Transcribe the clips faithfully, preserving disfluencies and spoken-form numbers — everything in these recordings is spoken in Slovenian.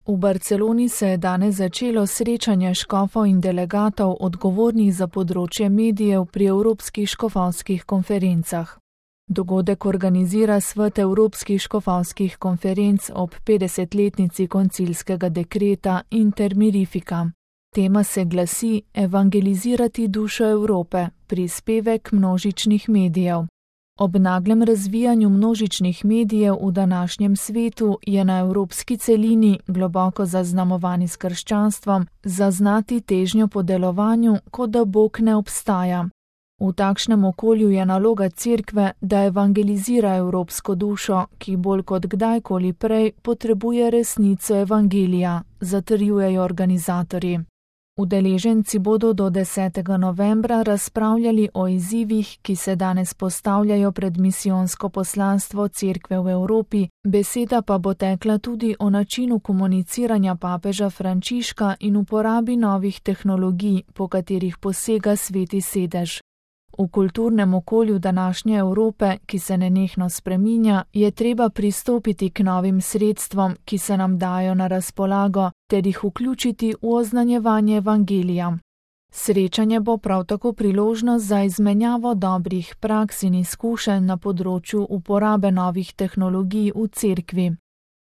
V Barceloni se je danes začelo srečanje škofov in delegatov odgovornih za področje medijev pri Evropskih škofovskih konferencah. Dogodek organizira Svet Evropskih škofovskih konferenc ob petdesetletnici koncilskega dekreta Inter Mirifica. Tema se glasi Evangelizirati dušo Evrope, prispevek množičnih medijev. Ob naglem razvijanju množičnih medijev v današnjem svetu je na evropski celini, globoko zaznamovani s krščanstvom, zaznati težnjo po delovanju, kot da Bog ne obstaja. V takšnem okolju je naloga Cerkve, da evangelizira evropsko dušo, ki bolj kot kdajkoli prej potrebuje resnico evangelija, zatrjujejo organizatorji. Udeleženci bodo do desetega novembra razpravljali o izzivih, ki se danes postavljajo pred misijonsko poslanstvo Cerkve v Evropi, beseda pa bo tekla tudi o načinu komuniciranja papeža Frančiška in uporabi novih tehnologij, po katerih posega Sveti sedež. V kulturnem okolju današnje Evrope, ki se nenehno spreminja, je treba pristopiti k novim sredstvom, ki se nam dajo na razpolago, ter jih vključiti v oznanjevanje evangelija. Srečanje bo prav tako priložnost za izmenjavo dobrih praks in izkušenj na področju uporabe novih tehnologij v Cerkvi.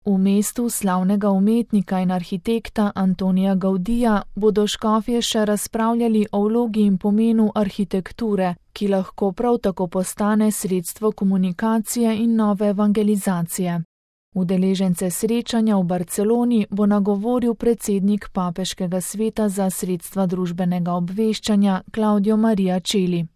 V mestu slavnega umetnika in arhitekta Antonija Gaudija bodo škofje še razpravljali o vlogi in pomenu arhitekture, ki lahko prav tako postane sredstvo komunikacije in nove evangelizacije. Udeležence srečanja v Barceloni bo nagovoril predsednik Papeškega sveta za sredstva družbenega obveščanja Claudio Maria Celli.